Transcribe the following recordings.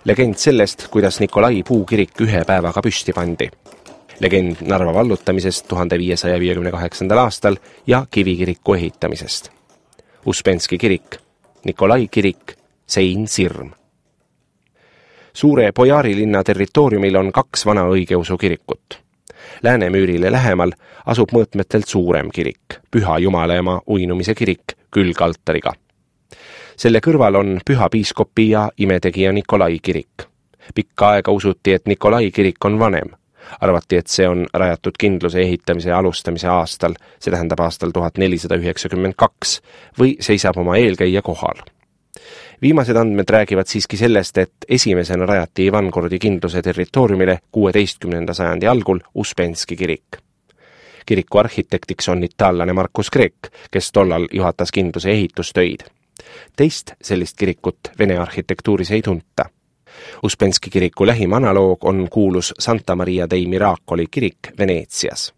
Legend sellest, kuidas Nikolai puukirik ühe päevaga püsti pandi. Legend Narva vallutamisest 1558. aastal ja kivikiriku ehitamisest. Uspenski kirik, Nikolai kirik, sein Sirm. Suure Bojari-linna territooriumil on 2 vana õigeusu kirikut. Läänemüürile lähemal asub mõõtmetelt suurem kirik, Püha Jumalaema uinumise kirik külgaltariga. Selle kõrval on Püha piiskopi ja imetegija Nikolai kirik. Pikka aega usuti, et Nikolai kirik on vanem. Arvati, et see on rajatud kindluse ehitamise ja alustamise aastal, see tähendab aastal 1492, või seisab oma eelkäija kohal. Viimased andmed räägivad siiski sellest, et esimesena rajati Ivangorodi kindluse territooriumile 16. sajandi algul Uspenski kirik. Kiriku arhitektiks on itaallane Markus Kreek, kes tollal juhatas kindluse ehitustöid. Teist sellist kirikut Vene arhitektuuris ei tunta. Uspenski kiriku lähim analoog on kuulus Santa Maria dei Miracoli kirik Veneetsias.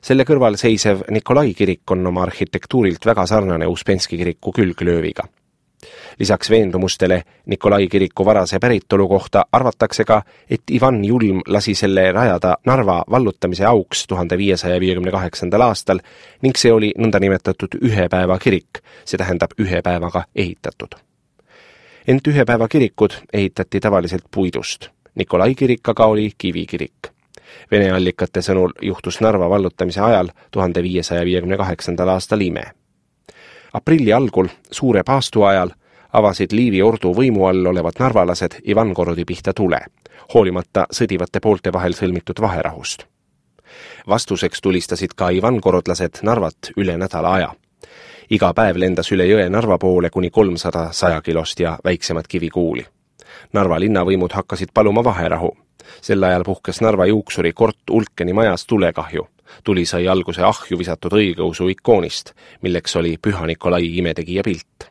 Selle kõrval seisev Nikolai kirik on oma arhitektuurilt väga sarnane Uspenski kiriku külglööviga. Lisaks veendumustele Nikolai kiriku varase päritolu kohta arvatakse ka, et Ivan Julm lasi selle rajada Narva vallutamise auks 1558. aastal ning see oli nõndanimetatud ühe päeva kirik, see tähendab ühe päevaga ehitatud. Ent ühe päeva kirikud ehitati tavaliselt puidust. Nikolai kirik aga oli kivikirik. Vene allikate sõnul juhtus Narva vallutamise ajal 1558. aastal ime. Aprilli algul, suure paastu ajal, avasid Liivi ordu võimu all olevad narvalased Ivangorodi pihta tule, hoolimata sõdivate poolte vahel sõlmitud vaherahust. Vastuseks tulistasid ka ivangorodlased Narvat üle nädala aja. Iga päev lendas üle jõe Narva poole kuni 300 100-kilost ja väiksemat kivikuuli. Narva linnavõimud hakkasid paluma vaherahu. Sel ajal puhkes Narva juuksuri Kort Ulkeni majas tulekahju. Tuli sai alguse ahju visatud õigeusu ikoonist, milleks oli Püha Nikolai imetegija pilt.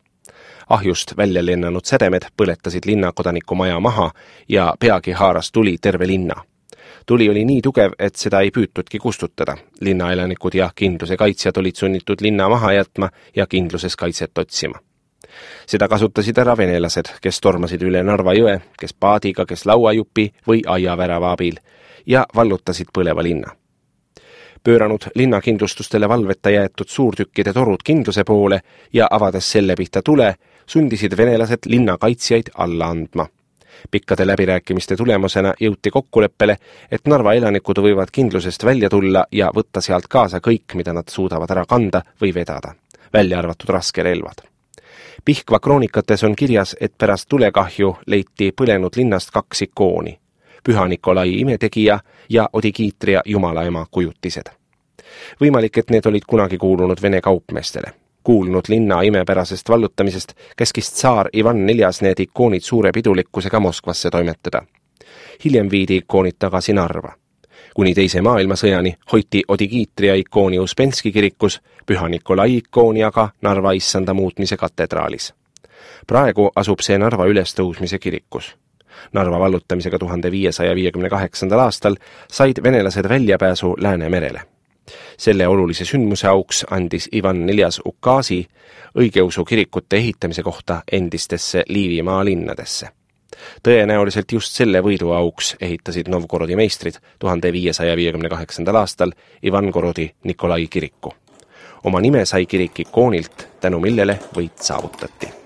Ahjust välja lennanud sädemed põletasid linnakodaniku maja maha ja peagi haaras tuli terve linna. Tuli oli nii tugev, et seda ei püütudki kustutada. Linnaelanikud ja kindluse kaitsjad olid sunnitud linna maha jätma ja kindluses kaitset otsima. Seda kasutasid ära venelased, kes tormasid üle Narva jõe, kes paadiga, kes lauajupi või aiavärava abil ja vallutasid põleva linna. Pööranud linnakindlustustele valveta jäetud suurtükkide torud kindluse poole ja avades selle pihta tule, sundisid venelased linnakaitsjaid alla andma. Pikkade läbirääkimiste tulemusena jõuti kokkuleppele, et Narva elanikud võivad kindlusest välja tulla ja võtta sealt kaasa kõik, mida nad suudavad ära kanda või vedada, välja arvatud raskerelvad. Pihkva kroonikates on kirjas, et pärast tulekahju leiti põlenud linnast 2 ikooni, Püha Nikolai imetegija ja Odigiitria Jumalaema kujutised. Võimalik, et need olid kunagi kuulunud Vene kaupmeestele. Kuulnud linna imepärasest vallutamisest käskis tsaar Ivan IV need ikoonid suure pidulikkusega Moskvasse toimetada. Hiljem viidi ikoonid tagasi Narva. Kuni teise maailmasõjani hoiti Odigiitria ikooni Uspenski kirikus, Püha Nikolai ikooni aga Narva issanda muutmise katedraalis. Praegu asub see Narva ülestõusmise kirikus. Narva vallutamisega 1558. aastal said venelased väljapääsu Läänemerele. Selle olulise sündmuse auks andis Ivan IV ukaasi õigeusu kirikute ehitamise kohta endistesse Liivimaa linnadesse. Tõenäoliselt just selle võidu auks ehitasid Novgorodi meistrid 1558. aastal Ivangorodi Nikolai kiriku. Oma nime sai kirik ikoonilt, tänu millele võit saavutati.